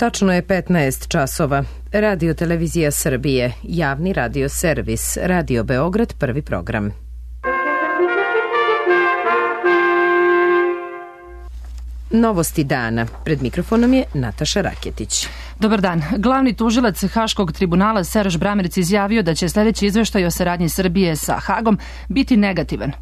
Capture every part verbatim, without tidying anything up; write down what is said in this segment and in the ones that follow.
Tačno je petnaest časova. Radio Televizija Srbije, javni radio servis, Radio Beograd, prvi program. Novosti dana. Pred mikrofonom je Nataša Raketić. Dobar dan. Glavni tužilac Haškog tribunala Serž Bramerc izjavio da će sljedeći izveštaj o saradnji Srbije sa Hagom biti negativan.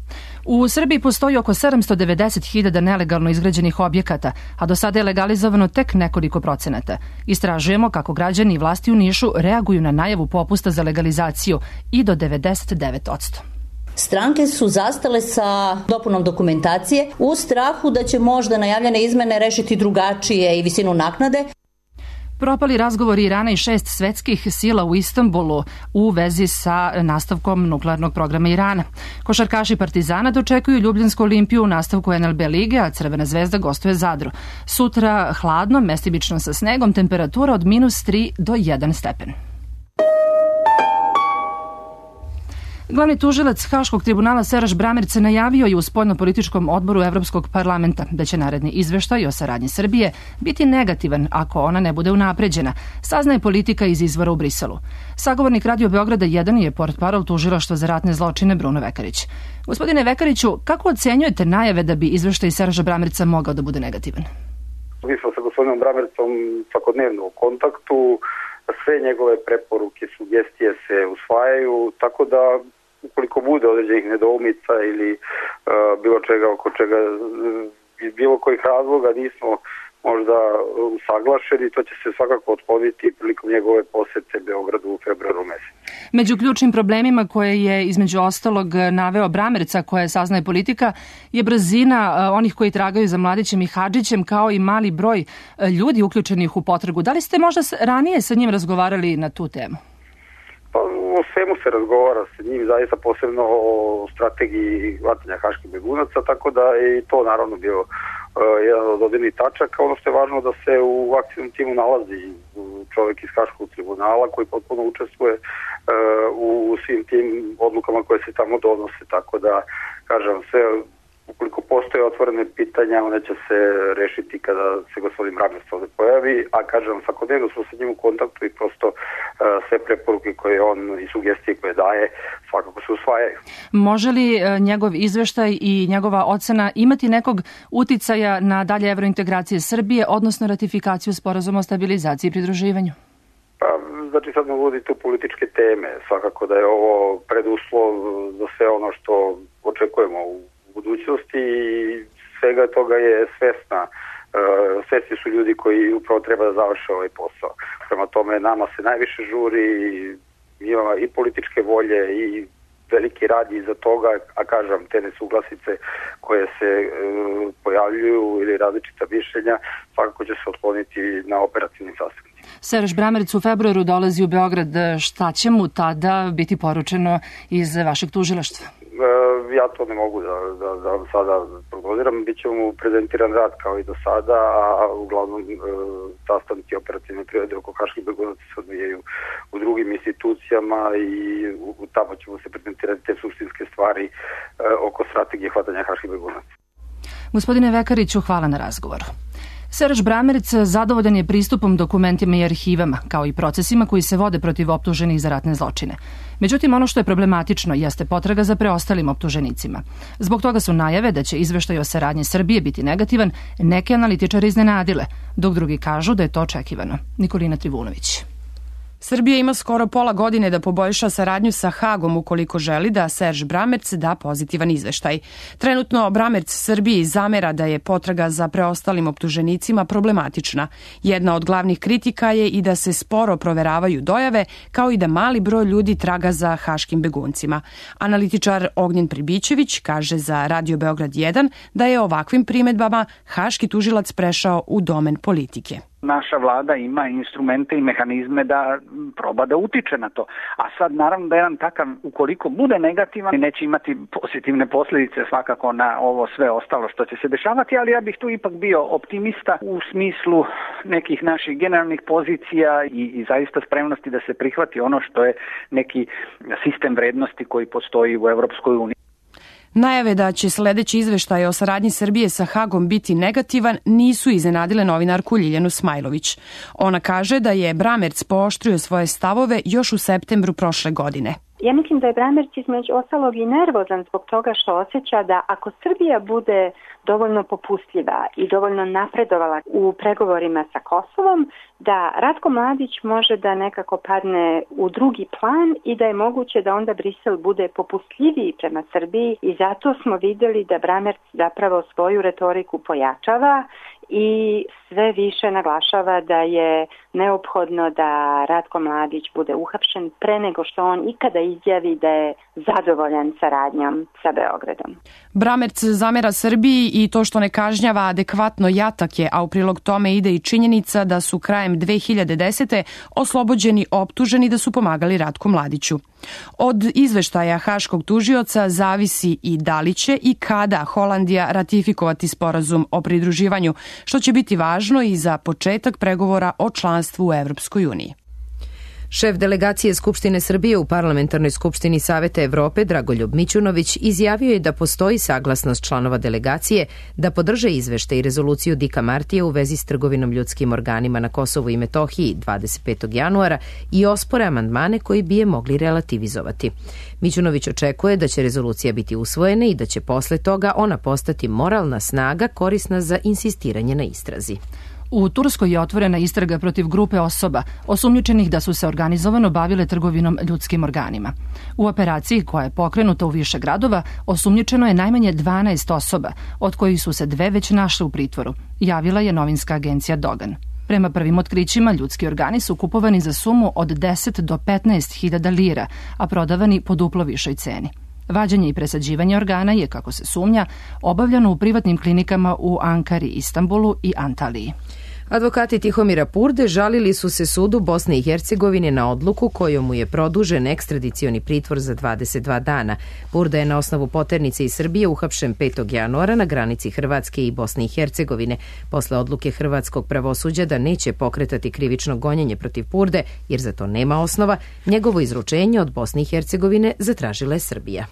U Srbiji postoji oko sedamsto devedeset hiljada nelegalno izgrađenih objekata, a do sada je legalizovano tek nekoliko procenata. Istražujemo kako građani i vlasti u Nišu reaguju na najavu popusta za legalizaciju i do devedeset devet posto. Stranke su zastale sa dopunom dokumentacije u strahu da će možda najavljene izmene rešiti drugačije i visinu naknade. Propali razgovori Irana i šest svetskih sila u Istanbulu u vezi sa nastavkom nuklearnog programa Irana. Košarkaši Partizana dočekuju Ljubljansku Olimpiju u nastavku en el be lige, a Crvena zvezda gostuje Zadru. Sutra hladno, mestimično sa snegom, temperatura od minus tri do jedan stepen. Glavni tužilac Haškog tribunala Serž Bramerc najavio je u spoljnopolitičkom odboru Evropskog parlamenta da će naredni izveštaj o saradnji Srbije biti negativan ako ona ne bude unapređena, saznaje politika iz izvora u Briselu. Sagovornik Radio Beograda jedan je portparol tužilaštva za ratne zločine Bruno Vekarić. Gospodine Vekariću, kako ocenjujete najave da bi izveštaj Serža Bramerca mogao da bude negativan? Mi smo sa gospodinom Bramercom svakodnevno u kontaktu, sve njegove preporuke, sugestije se usvajaju, tako da ukoliko bude određenih nedoumica ili uh, bilo čega oko čega iz bilo kojih razloga nismo možda usaglašeni, to će se svakako otkloniti prilikom njegove posete Beogradu u februaru mesecu. Među ključnim problemima koje je između ostalog naveo Bramerca, koje saznaje politika, je brzina onih koji tragaju za Mladićem i Hadžićem, kao i mali broj ljudi uključenih u potragu. Da li ste možda ranije sa njim razgovarali na tu temu? Pa o svemu se razgovara sa njim, zaista posebno o strategiji hvatanja haških begunaca, tako da je i to naravno bio uh, jedan od dodirnih tačaka. Ono što je važno da se u akcijnom timu nalazi čovjek iz Haškog tribunala koji potpuno učestvuje uh, u svim tim odlukama koje se tamo donose, tako da, kažem, sve ukoliko postoje otvorene pitanja, one će se rešiti kada se gospodin Bramerc ovde pojavi, a kažem, svakodnevno smo sa njim u kontaktu i prosto uh, sve preporuke koje on i sugestije koje daje svakako se usvajaju. Može li uh, njegov izveštaj i njegova ocena imati nekog uticaja na dalje evrointegracije Srbije, odnosno ratifikaciju sporazuma o stabilizaciji i pridruživanju? Pa, znači sad nam uvodi tu političke teme. Svakako da je ovo preduslov za sve ono što očekujemo u budućnosti i svega toga je svesna. Uh, svesni su ljudi koji upravo treba da završe ovaj posao. Prema tome, nama se najviše žuri, ima i političke volje i veliki rad iza toga, a kažem, te nesuglasice koje se uh, pojavljuju ili različita mišljenja, svakako će se otkloniti na operativnim sastancima. Serž Bramerc u februaru dolazi u Beograd. Šta će mu tada biti poručeno iz vašeg tužilaštva? Ja to ne mogu da, da, da sada prognoziram. Biće mu prezentiran rad kao i do sada, a uglavnom e, sastanci operativne prirode oko haških begunaca se odvijaju u drugim institucijama i u, u tamo ćemo se prezentirati te suštinske stvari e, oko strategije hvatanja haških begunaca. Gospodine Vekariću, hvala na razgovoru. Serž Bramerc zadovoljan je pristupom dokumentima i arhivama, kao i procesima koji se vode protiv optuženih za ratne zločine. Međutim, ono što je problematično jeste potraga za preostalim optuženicima. Zbog toga su najave da će izveštaj o saradnji Srbije biti negativan neke analitičare iznenadile, dok drugi kažu da je to očekivano. Nikolina Trivunović. Srbija ima skoro pola godine da poboljša saradnju sa Hagom ukoliko želi da Serž Bramerc da pozitivan izveštaj. Trenutno Bramerc Srbiji zamera da je potraga za preostalim optuženicima problematična. Jedna od glavnih kritika je i da se sporo proveravaju dojave, kao i da mali broj ljudi traga za haškim beguncima. Analitičar Ognjen Pribićević kaže za Radio Beograd jedan da je ovakvim primedbama haški tužilac prešao u domen politike. Naša vlada ima instrumente i mehanizme da proba da utiče na to. A sad naravno da jedan takav, ukoliko bude negativan, neće imati pozitivne posljedice svakako na ovo sve ostalo što će se dešavati, ali ja bih tu ipak bio optimista u smislu nekih naših generalnih pozicija i, i zaista spremnosti da se prihvati ono što je neki sistem vrednosti koji postoji u Evropskoj uniji. Najave da će sledeći izveštaj o saradnji Srbije sa Hagom biti negativan nisu iznenadile novinarku Ljiljanu Smajlović. Ona kaže da je Bramerc pooštrio svoje stavove još u septembru prošle godine. Ja mislim da je Bramerc između ostalog i nervozan zbog toga što osjeća da ako Srbija bude dovoljno popustljiva i dovoljno napredovala u pregovorima sa Kosovom, da Ratko Mladić može da nekako padne u drugi plan i da je moguće da onda Brisel bude popustljiviji prema Srbiji i zato smo videli da Bramerc zapravo svoju retoriku pojačava i sve više naglašava da je neophodno da Ratko Mladić bude uhapšen pre nego što on ikada izjavi da je zadovoljan saradnjom sa Beogradom. Bramerc zamera Srbiji i to što ne kažnjava adekvatno jatake, a u prilog tome ide i činjenica da su krajem dve hiljade desete. oslobođeni optuženi da su pomagali Ratku Mladiću. Od izveštaja Haškog tužioca zavisi i da li će i kada Holandija ratifikovati sporazum o pridruživanju, što će biti važno i za početak pregovora o članstvu u Evropskoj uniji. Šef delegacije Skupštine Srbije u Parlamentarnoj skupštini Saveta Evrope Dragoljub Mićunović izjavio je da postoji saglasnost članova delegacije da podrže izveštaj i rezoluciju Dika Martija u vezi s trgovinom ljudskim organima na Kosovu i Metohiji dvadeset petog januara i ospore amandmane koji bi je mogli relativizovati. Mićunović očekuje da će rezolucija biti usvojena i da će posle toga ona postati moralna snaga korisna za insistiranje na istrazi. U Turskoj je otvorena istraga protiv grupe osoba osumnjičenih da su se organizovano bavile trgovinom ljudskim organima. U operaciji koja je pokrenuta u više gradova osumnjičeno je najmanje dvanaest osoba, od kojih su se dve već našle u pritvoru, javila je novinska agencija Dogan. Prema prvim otkrićima, ljudski organi su kupovani za sumu od deset do petnaest hiljada lira, a prodavani po duplo višoj ceni. Vađenje i presađivanje organa je, kako se sumnja, obavljano u privatnim klinikama u Ankari, Istanbulu i Antaliji. Advokati Tihomira Purde žalili su se sudu Bosne i Hercegovine na odluku kojom mu je produžen ekstradicioni pritvor za dvadeset dva dana. Purda je na osnovu poternice iz Srbije uhapšen petog januara na granici Hrvatske i Bosne i Hercegovine. Posle odluke hrvatskog pravosuđa da neće pokretati krivično gonjenje protiv Purde, jer za to nema osnova, njegovo izručenje od Bosne i Hercegovine zatražila je Srbija.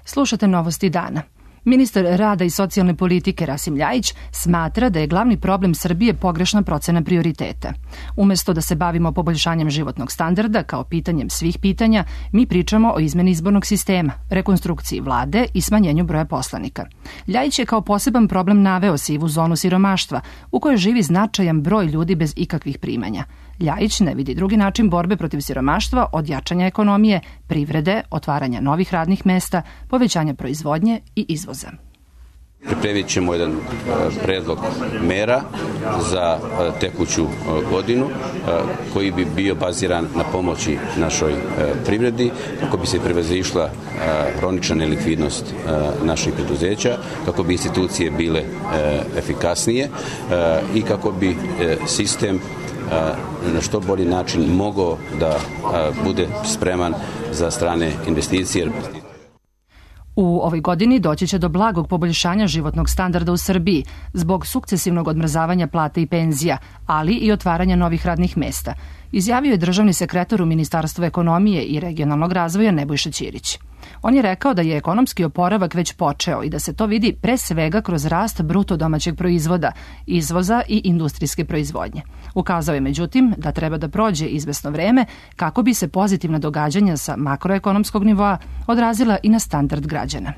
Slušate novosti dana. Ministar rada i socijalne politike Rasim Ljajić smatra da je glavni problem Srbije pogrešna procena prioriteta. Umesto da se bavimo poboljšanjem životnog standarda kao pitanjem svih pitanja, mi pričamo o izmeni izbornog sistema, rekonstrukciji vlade i smanjenju broja poslanika. Ljajić je kao poseban problem naveo sivu zonu siromaštva, u kojoj živi značajan broj ljudi bez ikakvih primanja. Ljajić ne vidi drugi način borbe protiv siromaštva od jačanja ekonomije, privrede, otvaranja novih radnih mesta, povećanja proizvodnje i izvoza. Pripremit ćemo jedan predlog mera za tekuću godinu koji bi bio baziran na pomoći našoj privredi, kako bi se prevazišla hronična nelikvidnost naših preduzeća, kako bi institucije bile efikasnije i kako bi sistem na što bolji način mogao da bude spreman za strane investicije. U ovoj godini doći će do blagog poboljšanja životnog standarda u Srbiji zbog sukcesivnog odmrzavanja plata i penzija, ali i otvaranja novih radnih mesta, izjavio je državni sekretar u Ministarstvu ekonomije i regionalnog razvoja Nebojša Ćirić. On je rekao da je ekonomski oporavak već počeo i da se to vidi pre svega kroz rast bruto domaćeg proizvoda, izvoza i industrijske proizvodnje. Ukazao je međutim da treba da prođe izvesno vreme kako bi se pozitivna događanja sa makroekonomskog nivoa odrazila i na standard građana.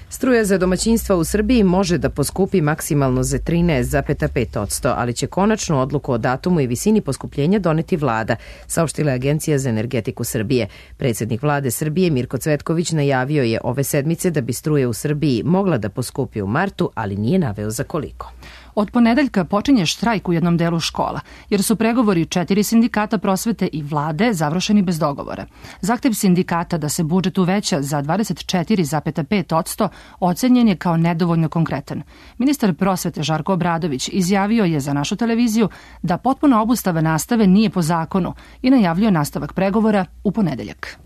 Struja za domaćinstva u Srbiji može da poskupi maksimalno za trinaest zarez pet posto, ali će konačnu odluku o datumu i visini poskupljenja doneti vlada, saopštila je Agencija za energetiku Srbije. Predsjednik vlade Srbije Mirko Cvetković najavio je ove sedmice da bi struja u Srbiji mogla da poskupi u martu, ali nije naveo za koliko. Od ponedeljka počinje štrajk u jednom delu škola, jer su pregovori četiri sindikata prosvete i vlade završeni bez dogovora. Zahtev sindikata da se budžet uveća za dvadeset četiri zarez pet posto ocenjen je kao nedovoljno konkretan. Ministar prosvete Žarko Obradović izjavio je za našu televiziju da potpuna obustava nastave nije po zakonu i najavljuje nastavak pregovora u ponedeljak.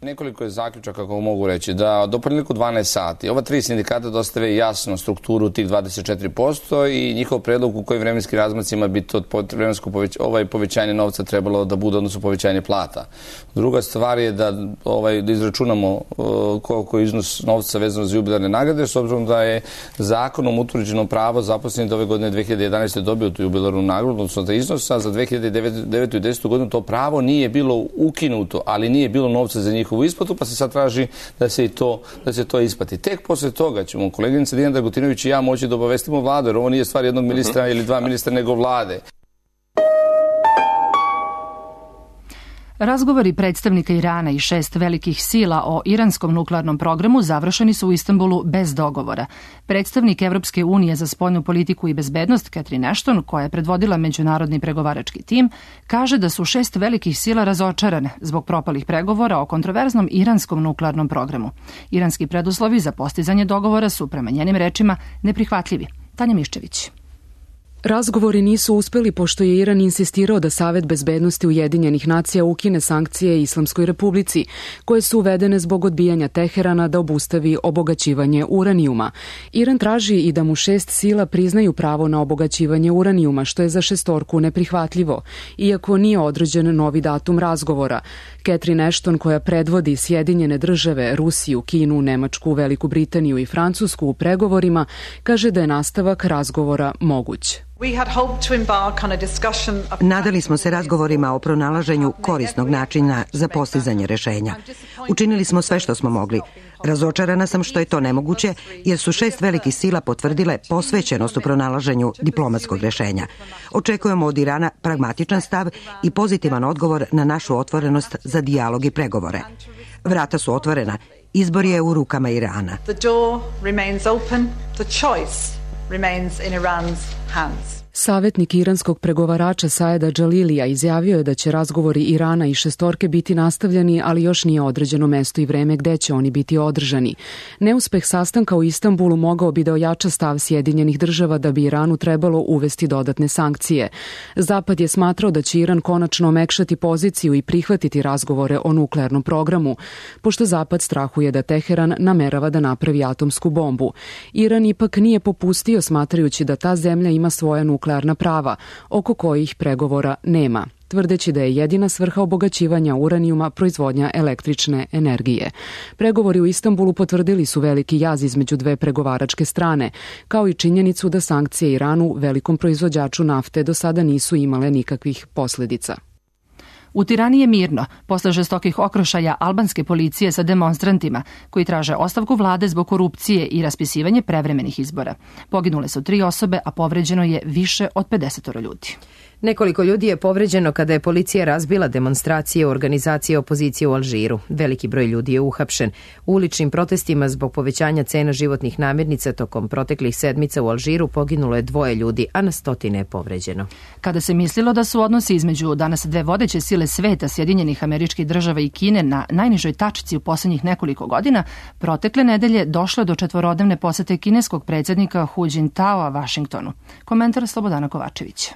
Nekoliko je zaključaka, kako mogu reći, da do ponedjeljka dvanaest sati ova tri sindikata dostave jasno strukturu tih dvadeset četiri posto i njihov predlog u kojim vremenskim razmacima bi to vremensko poveć, ovaj povećanje novca trebalo da bude, odnosno povećanje plata. Druga stvar je da, ovaj, da izračunamo uh, koliko je iznos novca vezano za jubilarne nagrade, s obzirom da je zakonom utvrđeno pravo zaposlenih da ove godine dve hiljade jedanaeste. dobio tu jubilarnu nagradu, odnosno za iznosa za dve hiljade devete. i desetu. godinu to pravo nije bilo ukinuto, ali nije bilo novca za njihovu isplatu, pa se sad traži da se i to, da se to isplati. Tek posle toga ćemo koleginica Dijana Dragutinović i ja moći da obavestimo vladu, jer ovo nije stvar jednog ministra ili dva ministra, nego vlade. Razgovori predstavnika Irana i šest velikih sila o iranskom nuklearnom programu završeni su u Istanbulu bez dogovora. Predstavnik Evropske unije za spoljnu politiku i bezbednost Catherine Ashton, koja je predvodila međunarodni pregovarački tim, kaže da su šest velikih sila razočarane zbog propalih pregovora o kontroverznom iranskom nuklearnom programu. Iranski preduslovi za postizanje dogovora su, prema njenim rečima, neprihvatljivi. Tanja Miščević. Razgovori nisu uspeli pošto je Iran insistirao da Savet bezbednosti Ujedinjenih nacija ukine sankcije Islamskoj republici, koje su uvedene zbog odbijanja Teherana da obustavi obogaćivanje uranijuma. Iran traži i da mu šest sila priznaju pravo na obogaćivanje uranijuma, što je za šestorku neprihvatljivo, iako nije određen novi datum razgovora. Catherine Ashton, koja predvodi Sjedinjene države, Rusiju, Kinu, Nemačku, Veliku Britaniju i Francusku u pregovorima, kaže da je nastavak razgovora moguć. Nadali smo se razgovorima o pronalaženju korisnog načina za postizanje rešenja. Učinili smo sve što smo mogli. Razočarana sam što je to nemoguće, jer su šest velikih sila potvrdile posvećenost u pronalaženju diplomatskog rešenja. Očekujemo od Irana pragmatičan stav i pozitivan odgovor na našu otvorenost za dijalog i pregovore. Vrata su otvorena. Izbor je u rukama Irana. Remains in Iran's hands. Savetnik iranskog pregovarača Saeda Džalilija izjavio je da će razgovori Irana i šestorke biti nastavljeni, ali još nije određeno mesto i vreme gde će oni biti održani. Neuspeh sastanka u Istanbulu mogao bi da ojača stav Sjedinjenih država da bi Iranu trebalo uvesti dodatne sankcije. Zapad je smatrao da će Iran konačno omekšati poziciju i prihvatiti razgovore o nuklearnom programu, pošto Zapad strahuje da Teheran namerava da napravi atomsku bombu. Iran ipak nije popustio, smatrajući da ta zemlja ima svoja nuklearna nuklearna prava, oko kojih pregovora nema, tvrdeći da je jedina svrha obogaćivanja uranijuma proizvodnja električne energije. Pregovori u Istanbulu potvrdili su veliki jaz između dve pregovaračke strane, kao i činjenicu da sankcije Iranu, velikom proizvođaču nafte, do sada nisu imale nikakvih posledica. U Tirani je mirno, posle žestokih okrošaja albanske policije sa demonstrantima, koji traže ostavku vlade zbog korupcije i raspisivanje prevremenih izbora. Poginule su tri osobe, a povređeno je više od pedeset ljudi. Nekoliko ljudi je povređeno kada je policija razbila demonstracije organizacije opozicije u Alžiru. Veliki broj ljudi je uhapšen. U uličnim protestima zbog povećanja cena životnih namirnica tokom proteklih sedmica u Alžiru poginulo je dvoje ljudi, a na stotine je povređeno. Kada se mislilo da su odnosi između danas dve vodeće sile sveta, Sjedinjenih Američkih Država i Kine, na najnižoj tačci u poslednjih nekoliko godina, protekle nedelje došlo do četvorodnevne posete kineskog predsjednika Hu Jintaoa Vašingtonu. Komentar Slobodana Kovačevića.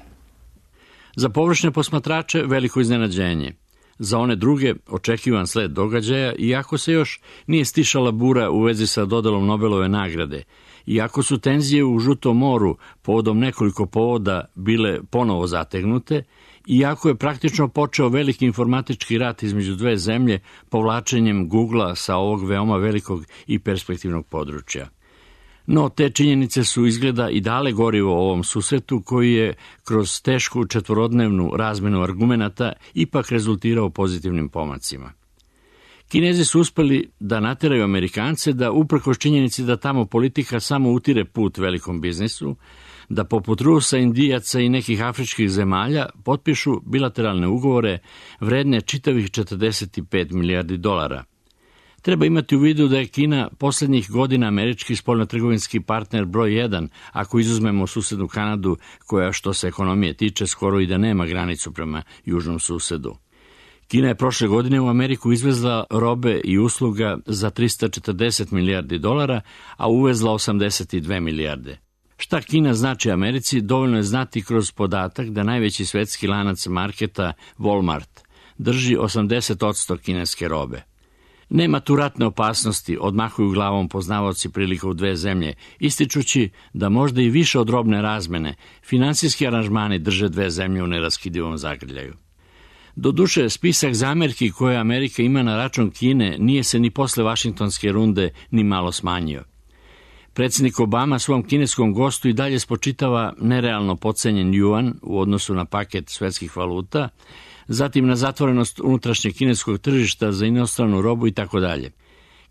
Za površne posmatrače veliko iznenađenje. Za one druge očekivan sled događaja, iako se još nije stišala bura u vezi sa dodelom Nobelove nagrade, iako su tenzije u Žutom moru povodom nekoliko povoda bile ponovo zategnute, iako je praktično počeo veliki informatički rat između dve zemlje povlačenjem Googlea sa ovog veoma velikog i perspektivnog područja. No, te činjenice su izgleda i dale gorivo ovom susretu koji je kroz tešku četvorodnevnu razmenu argumenata ipak rezultirao pozitivnim pomacima. Kinezi su uspeli da nateraju Amerikance da, uprkos činjenici da tamo politika samo utire put velikom biznisu, da poput Rusa, Indijaca i nekih afričkih zemalja potpišu bilateralne ugovore vredne čitavih četrdeset pet milijardi dolara. Treba imati u vidu da je Kina poslednjih godina američki spoljnotrgovinski partner broj jedan, ako izuzmemo susednu Kanadu, koja što se ekonomije tiče skoro i da nema granicu prema južnom susedu. Kina je prošle godine u Ameriku izvezla robe i usluga za trista četrdeset milijardi dolara, a uvezla osamdeset dve milijarde. Šta Kina znači Americi, dovoljno je znati kroz podatak da najveći svetski lanac marketa Walmart drži osamdeset posto kineske robe. Nema tu ratne opasnosti, odmahuju glavom poznavaoci prilika u dve zemlje, ističući da možda i više od robne razmene, finansijski aranžmani drže dve zemlje u neraskidivom zagrljaju. Doduše, spisak zamerki koje Amerika ima na račun Kine nije se ni posle Vašingtonske runde ni malo smanjio. Predsjednik Obama svom kineskom gostu i dalje spočitava nerealno podcenjen juan u odnosu na paket svetskih valuta, zatim na zatvorenost unutrašnjeg kineskog tržišta za inostranu robu i tako dalje.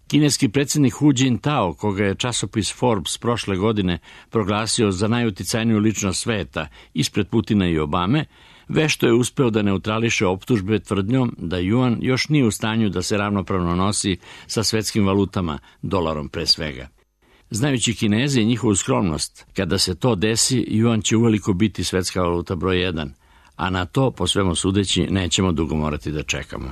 Kineski predsjednik Hu Jintao, koga je časopis Forbes prošle godine proglasio za najuticajniju ličnost sveta ispred Putina i Obame, vešto je uspeo da neutrališe optužbe tvrdnjom da juan još nije u stanju da se ravnopravno nosi sa svetskim valutama, dolarom pre svega. Znajući Kineze i njihovu skromnost, kada se to desi, juan će uveliko biti svetska valuta broj jedan, a na to, po svemu sudeći, nećemo dugo morati da čekamo.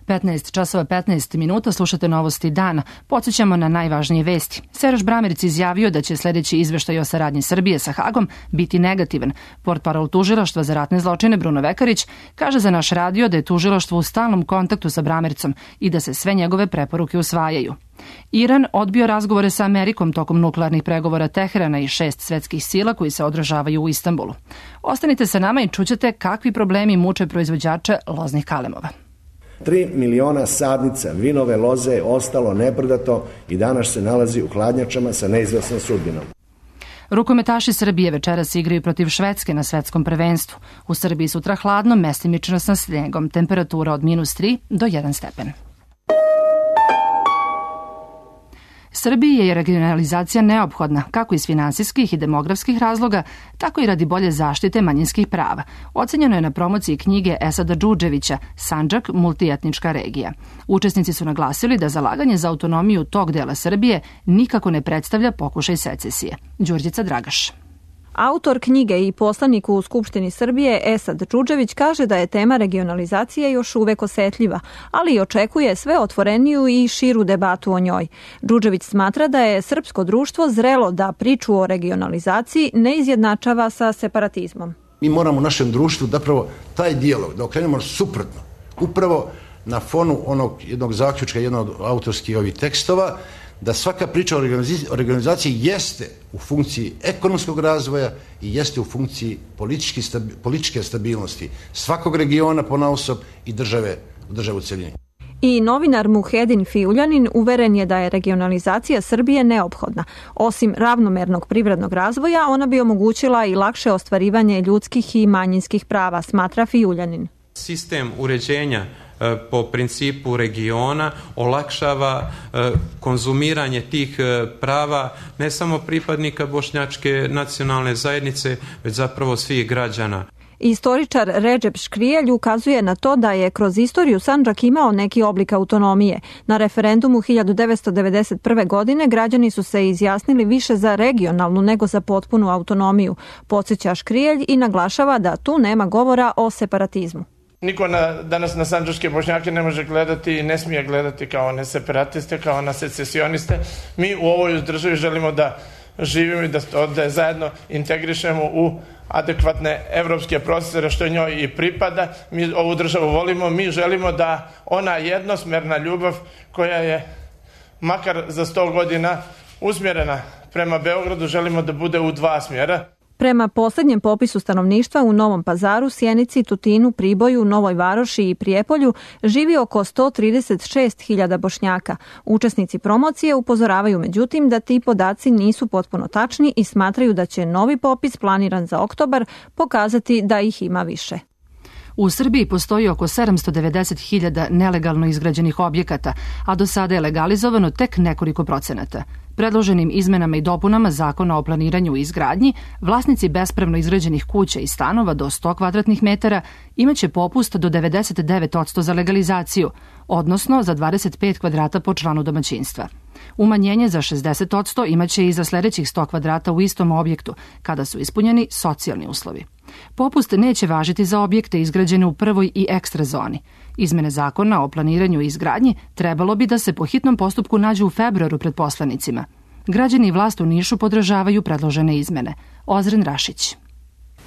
petnaest časova petnaest minuta, slušate novosti dana. Podsjećamo na najvažnije vesti. Seraž Bramerc izjavio da će sljedeći izveštaj o saradnji Srbije sa Hagom biti negativan. Portparol tužilaštva za ratne zločine Bruno Vekarić kaže za naš radio da je tužilaštvo u stalnom kontaktu sa Bramercom i da se sve njegove preporuke usvajaju. Iran odbio razgovore sa Amerikom tokom nuklearnih pregovora Teherana i šest svetskih sila koji se održavaju u Istanbulu. Ostanite sa nama i čućete kakvi problemi muče proizvođače loznih kalemova. Tri miliona sadnica vinove loze je ostalo neprodato i danas se nalazi u hladnjačama sa neizvesnom sudbinom. Rukometaši Srbije večeras igraju protiv Švedske na svetskom prvenstvu. U Srbiji sutra hladno, mestimično sa snegom, temperatura od minus tri do jedan stepen. Srbiji je regionalizacija neophodna, kako iz finansijskih i demografskih razloga, tako i radi bolje zaštite manjinskih prava. Ocenjeno je na promociji knjige Esada Džudževića Sandžak, multietnička regija. Učesnici su naglasili da zalaganje za autonomiju tog dela Srbije nikako ne predstavlja pokušaj secesije. Đurđica Dragaš. Autor knjige i poslanik u Skupštini Srbije Esad Džudžević kaže da je tema regionalizacije još uvek osetljiva, ali i očekuje sve otvoreniju i širu debatu o njoj. Džudžević smatra da je srpsko društvo zrelo da priču o regionalizaciji ne izjednačava sa separatizmom. Mi moramo u našem društvu da pravo taj dijalog da okrenemo suprotno. Upravo na fonu onog jednog zaključka, jednog od autorskih ovih tekstova, da svaka priča o regionalizaciji jeste u funkciji ekonomskog razvoja i jeste u funkciji političke stabilnosti svakog regiona ponaosob i države, države u celini. I novinar Muhedin Fiuljanin uveren je da je regionalizacija Srbije neophodna. Osim ravnomernog privrednog razvoja, ona bi omogućila i lakše ostvarivanje ljudskih i manjinskih prava, smatra Fiuljanin. Sistem uređenja po principu regiona olakšava konzumiranje tih prava ne samo pripadnika bošnjačke nacionalne zajednice, već zapravo svih građana. Istoričar Redžep Škrijelj ukazuje na to da je kroz istoriju Sandžak imao neki oblik autonomije. Na referendumu hiljadu devetsto devedeset prve. godine građani su se izjasnili više za regionalnu nego za potpunu autonomiju. Podsjeća Škrijelj i naglašava da tu nema govora o separatizmu. Niko na, danas na sandžačke Bošnjake ne može gledati i ne smije gledati kao na separatiste, kao na secesioniste. Mi u ovoj državi želimo da živimo i da, da zajedno integrišemo u adekvatne evropske procesore što njoj i pripada. Mi ovu državu volimo, mi želimo da ona jednosmerna ljubav koja je makar za sto godina usmjerena prema Beogradu, želimo da bude u dva smjera. Prema posljednjem popisu stanovništva u Novom Pazaru, Sjenici, Tutinu, Priboju, Novoj Varoši i Prijepolju živi oko sto trideset šest hiljada Bošnjaka. Učesnici promocije upozoravaju međutim da ti podaci nisu potpuno tačni i smatraju da će novi popis planiran za oktobar pokazati da ih ima više. U Srbiji postoji oko sedamsto devedeset hiljada nelegalno izgrađenih objekata, a do sada je legalizovano tek nekoliko procenata. Predloženim izmenama i dopunama Zakona o planiranju i izgradnji, vlasnici bespravno izgrađenih kuća i stanova do sto kvadratnih metara imaće popust do devedeset devet posto za legalizaciju, odnosno za dvadeset pet kvadrata po članu domaćinstva. Umanjenje za šezdeset posto imaće i za sljedećih sto kvadrata u istom objektu, kada su ispunjeni socijalni uslovi. Popust neće važiti za objekte izgrađene u prvoj i ekstra zoni. Izmene Zakona o planiranju i izgradnji trebalo bi da se po hitnom postupku nađu u februaru pred poslanicima. Građani i vlast u Nišu podržavaju predložene izmene. Ozren Rašić.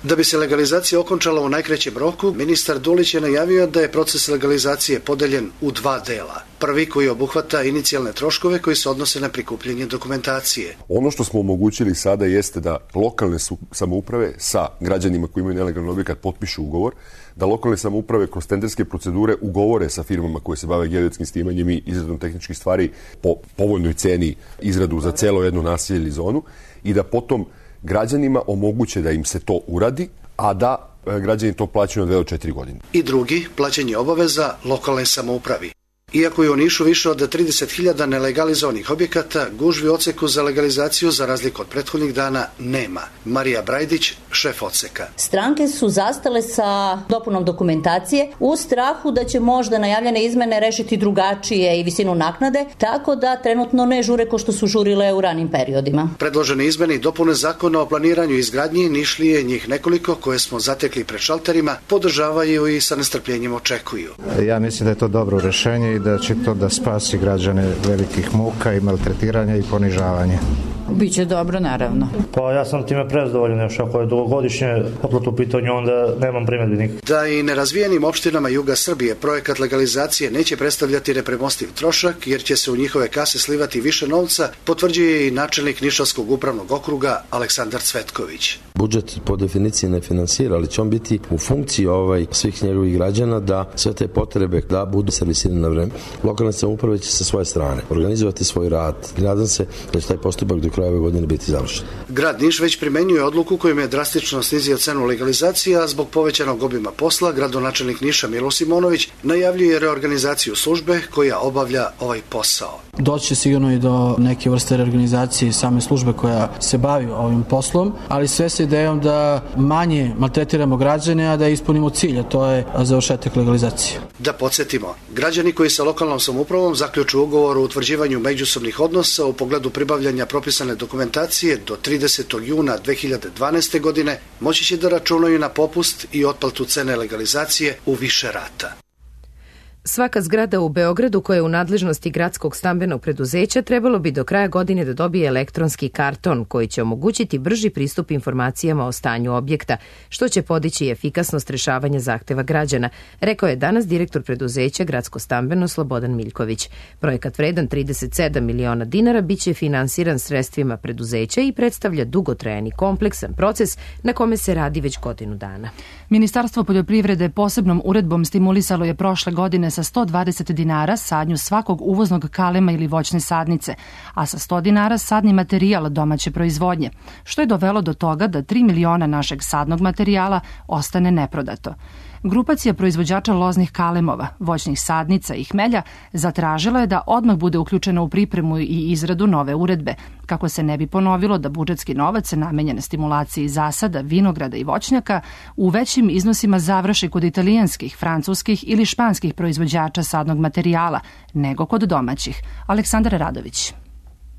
Da bi se legalizacija okončala u najkraćem roku, ministar Dulić je najavio da je proces legalizacije podeljen u dva dela. Prvi koji obuhvata inicijalne troškove koji se odnose na prikupljanje dokumentacije. Ono što smo omogućili sada jeste da lokalne samouprave sa građanima koji imaju nelegalni objekat potpišu ugovor, da lokalne samouprave kroz tenderske procedure ugovore sa firmama koje se bave geodetskim snimanjem i izradom tehničkih stvari po povoljnoj ceni izradu za celo jedno naselje ili zonu i da potom građanima omoguće da im se to uradi, a da građani to plaćaju na dve do četiri godine. I drugi, plaćanje obaveza lokalne samoupravi. Iako je u Nišu više od trideset hiljada nelegalizovanih objekata, gužvi u odseku za legalizaciju za razliku od prethodnih dana nema. Marija Brajdić, šef odseka. Stranke su zastale sa dopunom dokumentacije u strahu da će možda najavljene izmene rešiti drugačije i visinu naknade, tako da trenutno ne žure ko što su žurile u ranim periodima. Predložene izmene i dopune zakona o planiranju i izgradnji Nišlije, njih nekoliko koje smo zatekli pred šalterima, podržavaju i sa nestrpljenjem očekuju. Ja mislim da je to dobro rešenje i da će to da spasi građane velikih muka i maltretiranja i ponižavanja. Biće dobro, naravno. Pa ja sam time prezadovoljan, još ako je dugogodišnje otplata u pitanju, onda nemam primedbi nikak. Da i nerazvijenim opštinama juga Srbije projekat legalizacije neće predstavljati nepremostiv trošak, jer će se u njihove kase slivati više novca, potvrđuje i načelnik Nišavskog upravnog okruga Aleksandar Cvetković. Budžet po definiciji ne finansira, ali će on biti u funkciji ovaj svih njegovih građana da sve te potrebe da budu servisirane na vreme. Lokalne samouprave će sa svoje strane organizovati svoj rad. Nadam se da će taj postupak do kraja ove godine biti završen. Grad Niš već primenjuje odluku kojom je drastično snizio cenu legalizacije, a zbog povećanog obima posla gradonačelnik Niša Milo Simonović najavljuje reorganizaciju službe koja obavlja ovaj posao. Doći će sigurno i do neke vrste reorganizacije same službe koja se bavi ovim poslom, ali sve sa idejom da manje maltretiramo građane, a da ispunimo cilj, a to je završetak legalizacije. Da podsjetimo, građani koji sa lokalnom samoupravom zaključuju ugovor o utvrđivanju međusobnih odnosa u pogledu pribavljanja propisane dokumentacije do tridesetog juna dve hiljade dvanaeste. godine moći će da računaju na popust i otplatu cene legalizacije u više rata. Svaka zgrada u Beogradu koja je u nadležnosti gradskog stambenog preduzeća trebalo bi do kraja godine da dobije elektronski karton koji će omogućiti brži pristup informacijama o stanju objekta, što će podići efikasnost rešavanja zahteva građana, rekao je danas direktor preduzeća Gradsko stambeno Slobodan Miljković. Projekat vredan trideset sedam miliona dinara biće finansiran sredstvima preduzeća i predstavlja dugotrajan i kompleksan proces na kome se radi već godinu dana. Ministarstvo poljoprivrede posebnom uredbom stimulisalo je prošle godine sa sto dvadeset dinara sadnju svakog uvoznog kalema ili voćne sadnice, a sa sto dinara sadni materijal domaće proizvodnje, što je dovelo do toga da tri miliona našeg sadnog materijala ostane neprodato. Grupacija proizvođača loznih kalemova, voćnih sadnica i hmelja zatražila je da odmah bude uključena u pripremu i izradu nove uredbe, kako se ne bi ponovilo da budžetski novac namenjen stimulaciji zasada, vinograda i voćnjaka u većim iznosima završi kod italijanskih, francuskih ili španskih proizvođača sadnog materijala, nego kod domaćih. Aleksandar Radović.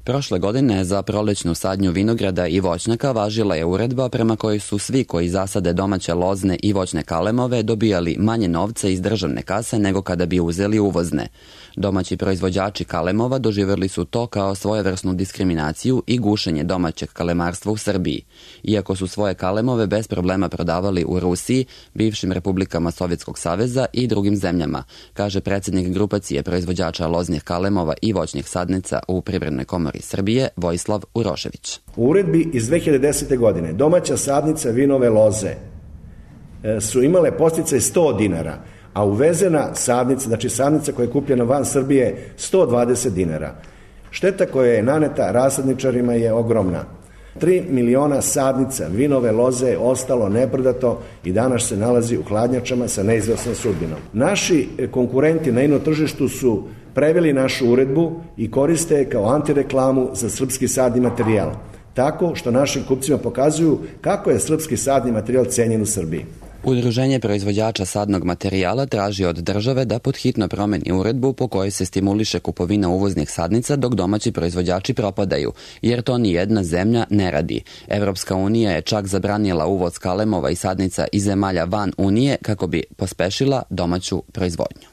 Prošle godine za prolećnu sadnju vinograda i voćnjaka važila je uredba prema kojoj su svi koji zasade domaće lozne i voćne kalemove dobijali manje novca iz državne kase nego kada bi uzeli uvozne. Domaći proizvođači kalemova doživjeli su to kao svojevrsnu diskriminaciju i gušenje domaćeg kalemarstva u Srbiji. Iako su svoje kalemove bez problema prodavali u Rusiji, bivšim republikama Sovjetskog saveza i drugim zemljama, kaže predsjednik grupacije proizvođača loznih kalemova i voćnih sadnica u Privrednoj komori Srbije, Vojislav Urošević. U uredbi iz dve hiljade desete. godine domaća sadnica vinove loze su imale podsticaj sto dinara, a uvezena sadnica, znači sadnica koja je kupljena van Srbije, sto dvadeset dinara. Šteta koja je naneta rasadničarima je ogromna. tri miliona sadnica vinove loze ostalo neprodato i danas se nalazi u hladnjačama sa neizvesnom sudbinom. Naši konkurenti na ino tržištu su preveli našu uredbu i koriste je kao antireklamu za srpski sadni materijal, tako što našim kupcima pokazuju kako je srpski sadni materijal cenjen u Srbiji. Udruženje proizvođača sadnog materijala traži od države da podhitno promeni uredbu po kojoj se stimuliše kupovina uvoznih sadnica dok domaći proizvođači propadaju, jer to ni jedna zemlja ne radi. Evropska unija je čak zabranila uvoz kalemova i sadnica iz zemalja van Unije kako bi pospešila domaću proizvodnju.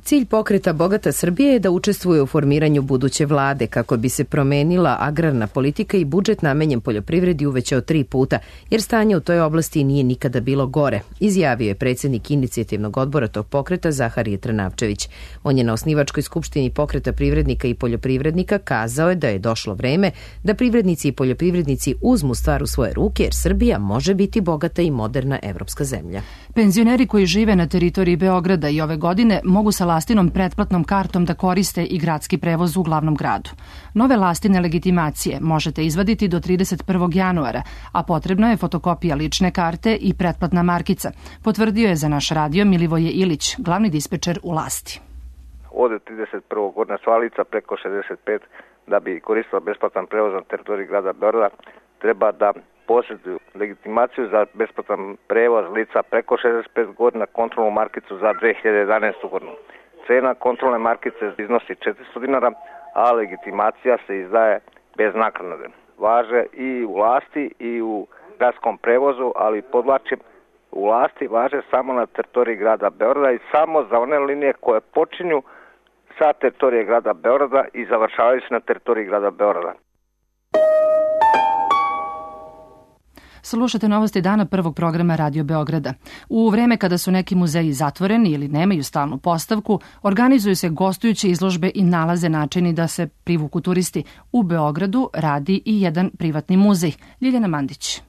Cilj pokreta Bogata Srbije je da učestvuje u formiranju buduće vlade kako bi se promenila agrarna politika i budžet namenjen poljoprivredi uvećao tri puta, jer stanje u toj oblasti nije nikada bilo gore, izjavio je predsjednik inicijativnog odbora tog pokreta Zaharije Trnavčević. On je na osnivačkoj skupštini pokreta privrednika i poljoprivrednika kazao je da je došlo vreme da privrednici i poljoprivrednici uzmu stvar u svoje ruke, jer Srbija može biti bogata i moderna evropska zemlja. Penzioneri koji žive na teritoriji Beograda i ove godine mogu sa lastinom pretplatnom kartom da koriste i gradski prevoz u glavnom gradu. Nove lastine legitimacije možete izvaditi do trideset prvog januara, a potrebna je fotokopija lične karte i pretplatna markica, potvrdio je za naš radio Milivoje Ilić, glavni dispečer u Lasti. Od trideset prvog godina sva lica preko šezdeset pet da bi koristila besplatan prevoz na teritoriji grada Beograda treba da posjeduju legitimaciju za besplatan prevoz lica preko šezdeset pet godina, kontrolnu markicu za dve hiljade jedanaestu godinu. Cena kontrolne markice iznosi četiristo dinara, a legitimacija se izdaje bez naknade. Važe i u Lasti i u gradskom prevozu, ali podvlačim, u Lasti važe samo na teritoriji grada Beograda i samo za one linije koje počinju sa teritorije grada Beograda i završavaju se na teritoriji grada Beograda. Slušate novosti dana prvog programa Radio Beograda. U vreme kada su neki muzeji zatvoreni ili nemaju stalnu postavku, organizuju se gostujuće izložbe i nalaze načini da se privuku turisti. U Beogradu radi i jedan privatni muzej. Ljiljana Mandić.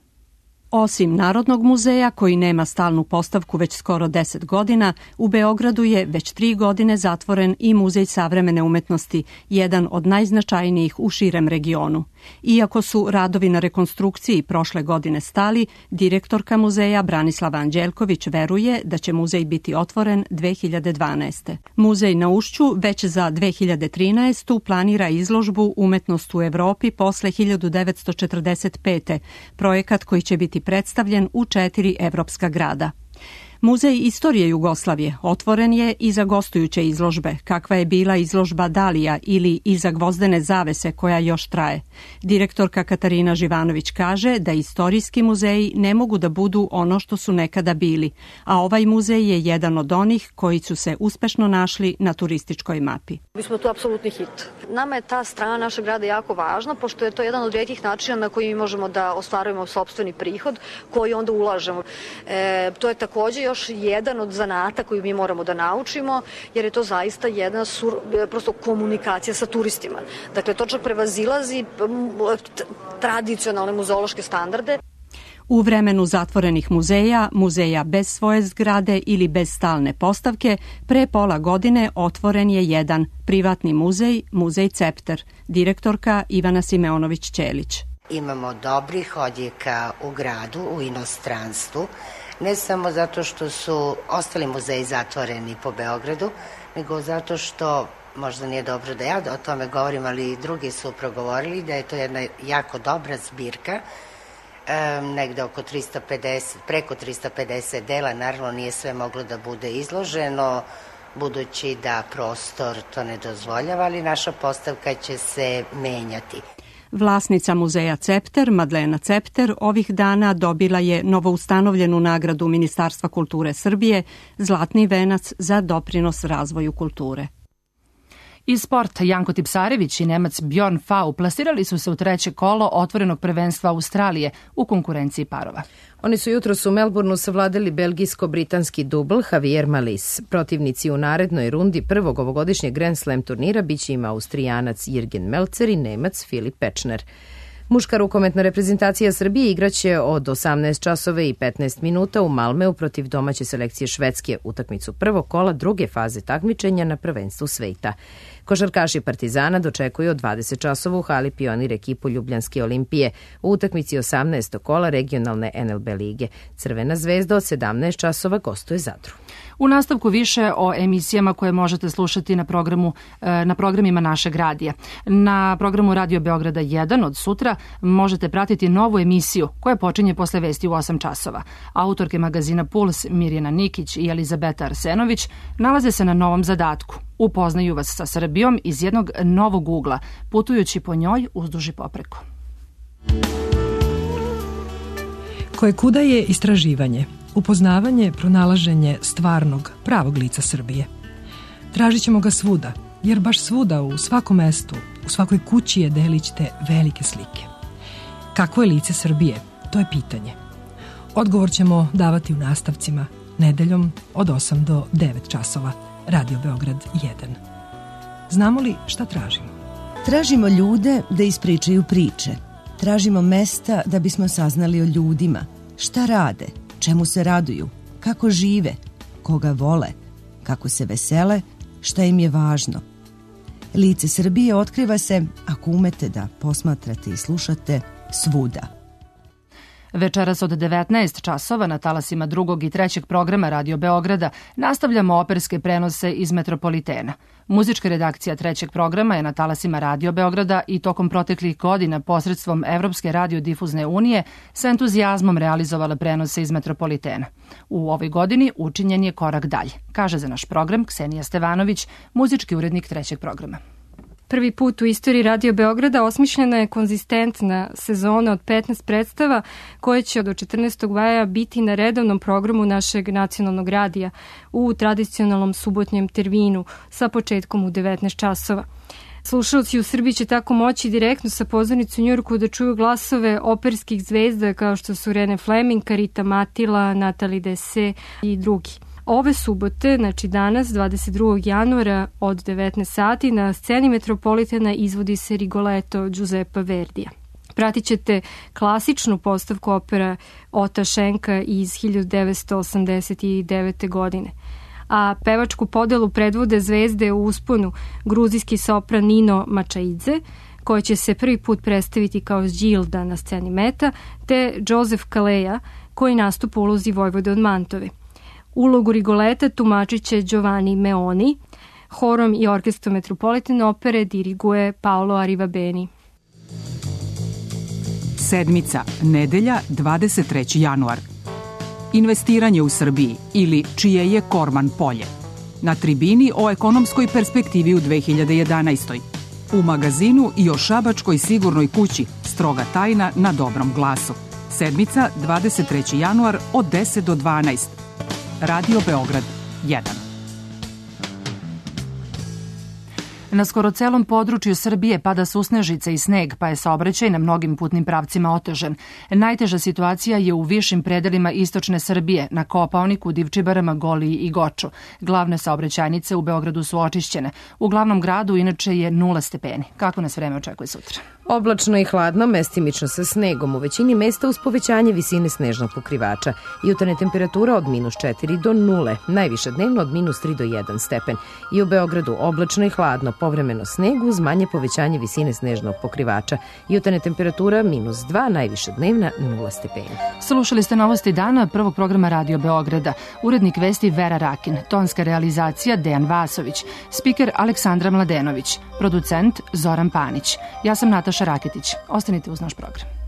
Osim Narodnog muzeja, koji nema stalnu postavku već skoro deset godina, u Beogradu je već tri godine zatvoren i Muzej savremene umetnosti, jedan od najznačajnijih u širem regionu. Iako su radovi na rekonstrukciji prošle godine stali, direktorka muzeja Branislava Anđelković veruje da će muzej biti otvoren dve hiljade dvanaeste. Muzej na Ušću već za dve hiljade trinaestu planira izložbu Umetnost u Evropi posle hiljadu devetsto četrdeset pete, projekat koji će biti predstavljen u četiri evropska grada. Muzej istorije Jugoslavije otvoren je i za gostujuće izložbe, kakva je bila izložba Dalija ili Iza gvozdene zavese koja još traje. Direktorka Katarina Živanović kaže da istorijski muzeji ne mogu da budu ono što su nekada bili, a ovaj muzej je jedan od onih koji su se uspešno našli na turističkoj mapi. Mi smo tu apsolutni hit. Nama je ta strana našeg grada jako važna, pošto je to jedan od rijetkih načina na koji mi možemo da ostvarujemo sopstveni prihod, koji onda ulažemo. E, to je takođe još jedan od zanata koji mi moramo da naučimo, jer je to zaista jedna sur, prosto komunikacija sa turistima. Dakle, to čak prevazilazi tradicionalne muzeološke standarde. U vremenu zatvorenih muzeja, muzeja bez svoje zgrade ili bez stalne postavke, pre pola godine otvoren je jedan privatni muzej, Muzej Cepter, direktorka Ivana Simeonović-Ćelić. Imamo dobrih odjeka u gradu, u inostranstvu, ne samo zato što su ostali muzeji zatvoreni po Beogradu, nego zato što, možda nije dobro da ja o tome govorim, ali i drugi su progovorili da je to jedna jako dobra zbirka, e, negde oko tristo pedeset, preko tristo pedeset dela, naravno nije sve moglo da bude izloženo, budući da prostor to ne dozvoljava, ali naša postavka će se menjati. Vlasnica muzeja Cepter, Madlena Cepter, ovih dana dobila je novoustanovljenu nagradu Ministarstva kulture Srbije, Zlatni venac za doprinos razvoju kulture. Iz sporta Janko Tipsarević i Nemac Bjorn Fau plasirali su se u treće kolo otvorenog prvenstva Australije u konkurenciji parova. Oni su jutros u Melbourneu savladali belgijsko-britanski dubl Javier Malis. Protivnici u narednoj rundi prvog ovogodišnjeg Grand Slam turnira biće im Austrijanac Jürgen Melzer i Nemac Filip Pečner. Muška rukometna reprezentacija Srbije igraće od osamnaest časova i petnaest minuta u Malmeu protiv domaće selekcije Švedske, utakmicu prvog kola druge faze takmičenja na prvenstvu sveta. Košarkaši Partizana dočekuju od dvadeset časova u hali Pionir ekipu Ljubljanske Olimpije u utakmici osamnaestog kola regionalne N L B lige. Crvena zvezda od sedamnaest časova gostuje Zadru. U nastavku više o emisijama koje možete slušati na programu na programima našeg radija. Na programu Radio Beograda jedan od sutra možete pratiti novu emisiju koja počinje posle vesti u osam časova. Autorke magazina Puls Mirjana Nikić i Elizabeta Arsenović nalaze se na novom zadatku. Upoznaju vas sa Srbijom iz jednog novog ugla, putujući po njoj uzduž i popreko. Koje kuda je istraživanje, upoznavanje, pronalaženje stvarnog, pravog lica Srbije. Tražit ćemo ga svuda, jer baš svuda, u svakom mestu, u svakoj kući je delić te velike slike. Kakvo je lice Srbije? To je pitanje. Odgovor ćemo davati u nastavcima, nedeljom od osam do devet časova. Radio Beograd jedan. Znamo li šta tražimo? Tražimo ljude da ispričaju priče. Tražimo mesta da bismo saznali o ljudima. Šta rade, čemu se raduju, kako žive, koga vole, kako se vesele, šta im je važno. Lice Srbije otkriva se, ako umete da posmatrate i slušate, svuda. Večeras od devetnaest časova na talasima drugog i trećeg programa Radio Beograda nastavljamo operske prenose iz Metropolitena. Muzička redakcija trećeg programa je na talasima Radio Beograda i tokom proteklih godina posredstvom Evropske radiodifuzne unije sa entuzijazmom realizovala prenose iz Metropolitena. U ovoj godini učinjen je korak dalje, kaže za naš program Ksenija Stevanović, muzički urednik trećeg programa. Prvi put u istoriji Radio Beograda osmišljena je konzistentna sezona od petnaest predstava koje će do četrnaestog maja biti na redovnom programu našeg nacionalnog radija u tradicionalnom subotnjem terminu sa početkom u devetnaest časova. Slušalci u Srbiji će tako moći direktno sa pozornice u Njujorku da čuju glasove operskih zvezda kao što su Rene Fleming, Rita Matila, Nathalie Dessay i drugi. Ove subote, znači danas, dvadeset drugog januara od devetnaest sati, na sceni Metropolitena izvodi se Rigoletto Giuseppa Verdija. Pratit ćete klasičnu postavku opera Ota Šenka iz hiljadu devetsto osamdeset devete. godine. A pevačku podelu predvode zvezde u usponu gruzijski sopran Nino Mačaidze, koja će se prvi put predstaviti kao Đilda na sceni Meta, te Joseph Kaleja, koji nastupa u ulozi Vojvode od Mantove. Ulogu Rigoleta tumačit će Giovanni Meoni, horom i orkestrom Metropolitan opere diriguje Paolo Arrivabeni. Sedmica, nedelja, dvadeset treći januar. Investiranje u Srbiji ili čije je Korman polje. Na tribini o ekonomskoj perspektivi u dve hiljade jedanaestoj. U magazinu i o šabačkoj sigurnoj kući, stroga tajna na Dobrom glasu. Sedmica, dvadeset treći januar od deset do dvanaest. Radio Beograd jedan. Na skoro celom području Srbije pada susnežica i sneg, pa je saobraćaj na mnogim putnim pravcima otežan. Najteža situacija je u višim predelima istočne Srbije, na Kopaoniku, Divčibarama, Goliji i Goču. Glavne saobraćajnice u Beogradu su očišćene. U glavnom gradu inače je nula stepeni. Kako nas vreme očekuje sutra? Oblačno i hladno, mestimično sa snegom, u većini mesta uz povećanje visine snežnog pokrivača. Jutarnja temperatura od minus četiri do nule, najviše dnevno od minus tri do jedan stepen. I u Beogradu oblačno i hladno, povremeno sneg uz manje povećanje visine snežnog pokrivača. Jutarnja temperatura minus dva, najviše dnevna nula stepeni. Slušali ste novosti dana prvog programa Radio Beograda. Urednik vesti Vera Rakin, tonska realizacija Dejan Vasović, spiker Aleksandra Mladenović, producent Zoran Panić. Ja sam Nataša Raketić. Ostanite uz naš program.